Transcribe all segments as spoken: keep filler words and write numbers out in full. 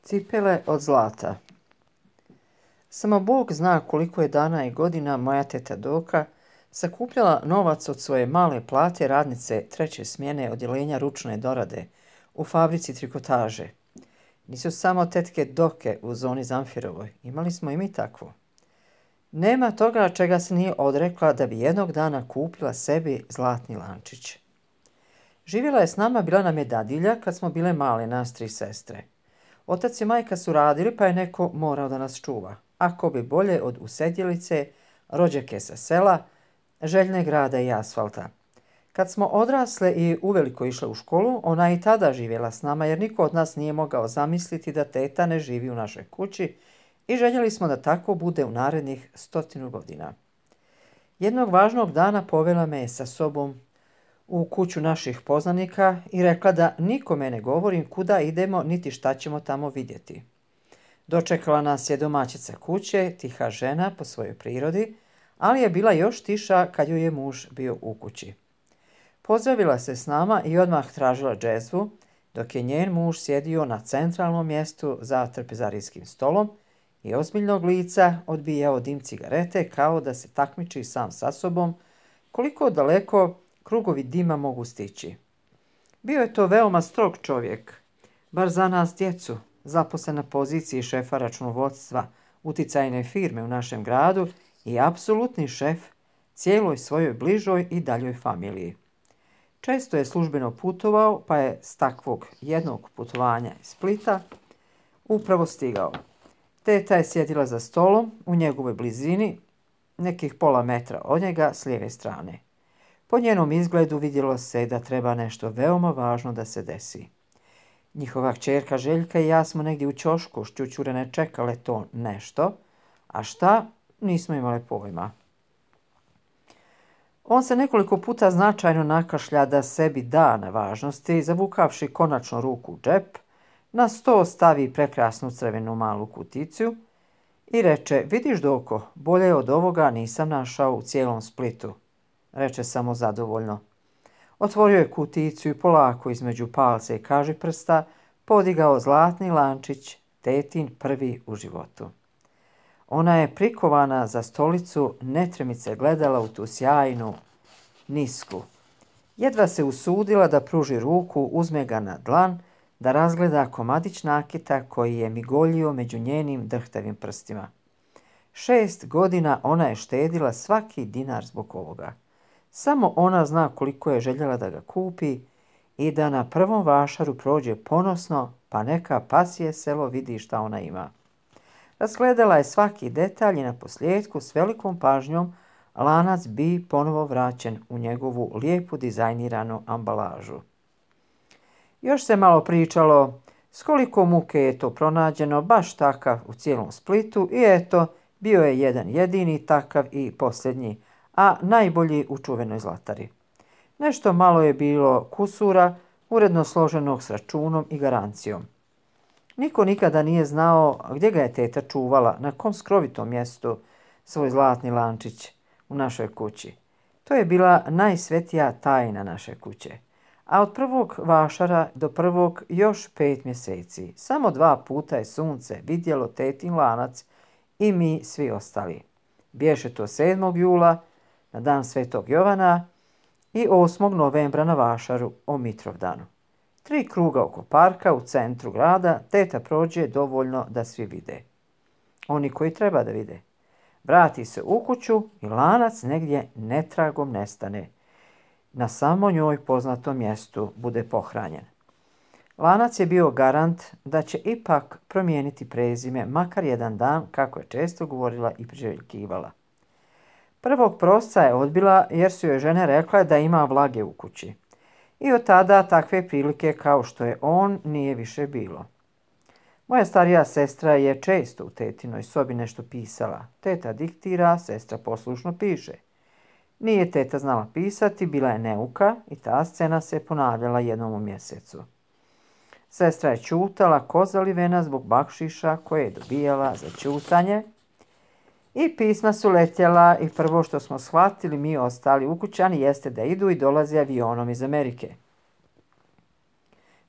Cipele od zlata. Samo Bog zna koliko je dana i godina moja teta Doka sakupljala novac od svoje male plate radnice treće smjene odjeljenja ručne dorade u fabrici trikotaže. Nisu samo tetke Doke u zoni Zamfirovoj, imali smo i mi takvu. Nema toga čega se nije odrekla da bi jednog dana kupila sebi zlatni lančić. Živjela je s nama, bila nam je dadilja kad smo bile male, nas tri sestre. Otac i majka su radili, pa je neko morao da nas čuva. Ako bi bolje od usedjelice, rođake sa sela, željne grada i asfalta. Kad smo odrasle i uveliko išle u školu, ona i tada živjela s nama, jer niko od nas nije mogao zamisliti da teta ne živi u našoj kući i željeli smo da tako bude u narednih stotinu godina. Jednog važnog dana povela me sa sobom u kuću naših poznanika i rekla da nikome ne govorim kuda idemo niti šta ćemo tamo vidjeti. Dočekala nas je domaćica kuće, tiha žena po svojoj prirodi, ali je bila još tiša kad joj je muž bio u kući. Pozdravila se s nama i odmah tražila džezvu, dok je njen muž sjedio na centralnom mjestu za trpezarijskim stolom i ozbiljnog lica odbijao dim cigarete kao da se takmiči sam sa sobom koliko daleko krugovi dima mogu stići. Bio je to veoma strog čovjek, bar za nas djecu, zaposlen na poziciji šefa računovodstva uticajne firme u našem gradu i apsolutni šef cijeloj svojoj bližoj i daljoj familiji. Često je službeno putovao, pa je s takvog jednog putovanja iz Splita upravo stigao. Teta je sjedila za stolom u njegovoj blizini, nekih pola metra od njega s lijeve strane. Po njenom izgledu vidjelo se da treba nešto veoma važno da se desi. Njihova kćerka Željka i ja smo negdje u ćošku šćućurene čekale to nešto, a šta, nismo imali pojma. On se nekoliko puta značajno nakašlja da sebi da na važnosti, zavukavši konačno ruku u džep, na sto stavi prekrasnu crvenu malu kuticu i reče: "Vidiš, Doko, bolje od ovoga nisam našao u cijelom Splitu", reče samo zadovoljno. Otvorio je kuticu i polako između palca i kažiprsta podigao zlatni lančić, tetin prvi u životu. Ona je prikovana za stolicu netremice gledala u tu sjajnu nisku. Jedva se usudila da pruži ruku, uzme ga na dlan, da razgleda komadić nakita koji je migoljio među njenim drhtavim prstima. Šest godina ona je štedila svaki dinar zbog ovoga. Samo ona zna koliko je željela da ga kupi i da na prvom vašaru prođe ponosno, pa neka pasije selo vidi šta ona ima. Razgledala je svaki detalj i na posljedku s velikom pažnjom lanac bi ponovo vraćen u njegovu lijepu dizajniranu ambalažu. Još se malo pričalo s koliko muke je to pronađeno, baš takav u cijelom Splitu, i eto, bio je jedan jedini takav i posljednji, a najbolji u čuvenoj Zlatari. Nešto malo je bilo kusura, uredno složenog s računom i garancijom. Niko nikada nije znao gdje ga je teta čuvala, na kom skrovitom mjestu, svoj zlatni lančić u našoj kući. To je bila najsvetija tajna naše kuće. A od prvog vašara do prvog još pet mjeseci. Samo dva puta je sunce vidjelo tetin lanac i mi svi ostali. Bješe to sedmog jula, na dan Svetog Jovana, i osmog novembra na vašaru o Mitrovdanu. Tri kruga oko parka u centru grada teta prođe dovoljno da svi vide. Oni koji treba da vide. Vrati se u kuću i lanac negdje netragom nestane. Na samo njoj poznatom mjestu bude pohranjen. Lanac je bio garant da će ipak promijeniti prezime makar jedan dan, kako je često govorila i priželjkivala. Prvog prosca je odbila jer su joj žene rekle da ima vlage u kući. I od tada takve prilike kao što je on nije više bilo. Moja starija sestra je često u tetinoj sobi nešto pisala. Teta diktira, sestra poslušno piše. Nije teta znala pisati, bila je neuka i ta scena se ponavljala jednom u mjesecu. Sestra je ćutala ko zalivena zbog bakšiša koje je dobijala za ćutanje i pisma su letjela i prvo što smo shvatili mi ostali ukućani jeste da idu i dolaze avionom iz Amerike.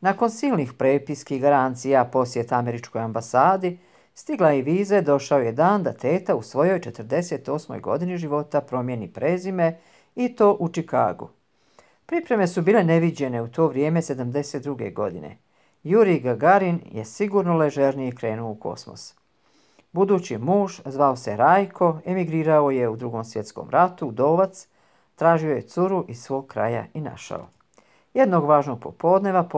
Nakon silnih prepiski i garancija posjeta američkoj ambasadi, stigla je i viza, došao je dan da teta u svojoj četrdeset osmoj godini života promijeni prezime i to u Čikagu. Pripreme su bile neviđene u to vrijeme sedamdeset druge godine. Jurij Gagarin je sigurno ležernije krenuo u kosmos. Budući muž, zvao se Rajko, emigrirao je u Drugom svjetskom ratu, udovac, tražio je curu iz svog kraja i našao. Jednog važnog popodneva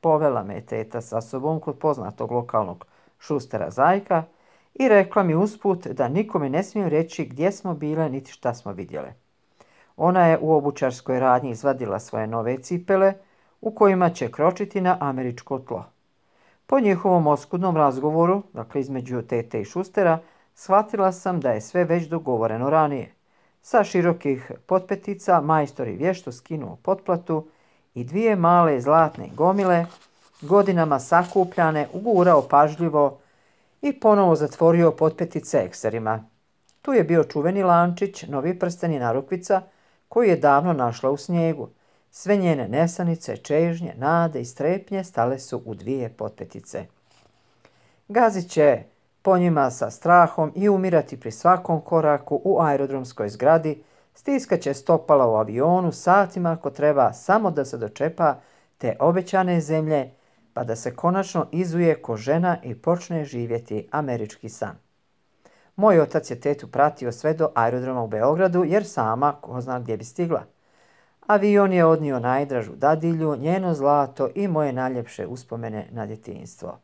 povela me teta sa sobom kod poznatog lokalnog šustera Zajka i rekla mi usput da nikome ne smijem reći gdje smo bile niti šta smo vidjele. Ona je u obućarskoj radnji izvadila svoje nove cipele u kojima će kročiti na američko tlo. Po njihovom oskudnom razgovoru, dakle između tete i šustera, shvatila sam da je sve već dogovoreno ranije. Sa širokih potpetica majstor je vješto skinuo potplatu i dvije male zlatne gomile, godinama sakupljane, ugurao pažljivo i ponovo zatvorio potpetice ekserima. Tu je bio čuveni lančić, novi prsten i narukvica, koju je davno našla u snijegu. Sve njene nesanice, čežnje, nade i strepnje stale su u dvije potpetice. Gazit će po njima sa strahom i umirati pri svakom koraku u aerodromskoj zgradi, stiskat će stopala u avionu satima ako treba samo da se dočepa te obećane zemlje, pa da se konačno izuje ko žena i počne živjeti američki san. Moj otac je tetu pratio sve do aerodroma u Beogradu, jer sama ko zna gdje bi stigla. Avion je odnio najdražu dadilju, njeno zlato i moje najljepše uspomene na djetinjstvo.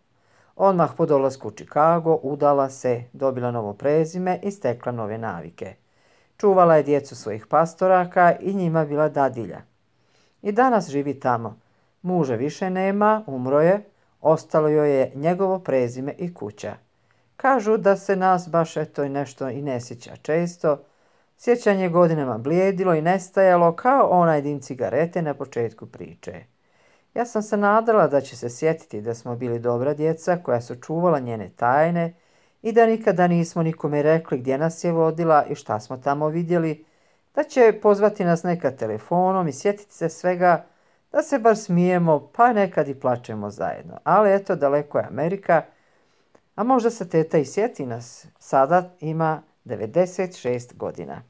Odmah po dolasku u Čikago udala se, dobila novo prezime i stekla nove navike. Čuvala je djecu svojih pastoraka i njima bila dadilja. I danas živi tamo. Muža više nema, umro je, ostalo joj je njegovo prezime i kuća. Kažu da se nas baš eto i nešto i ne sjeća često. Sjećanje godinama blijedilo i nestajalo kao onaj dim cigarete na početku priče. Ja sam se nadala da će se sjetiti da smo bili dobra djeca koja su čuvala njene tajne i da nikada nismo nikome rekli gdje nas je vodila i šta smo tamo vidjeli, da će pozvati nas nekad telefonom i sjetiti se svega, da se bar smijemo pa nekad i plačemo zajedno. Ali eto, daleko je Amerika, a možda se teta i sjeti nas. Sada ima devedeset šest godina.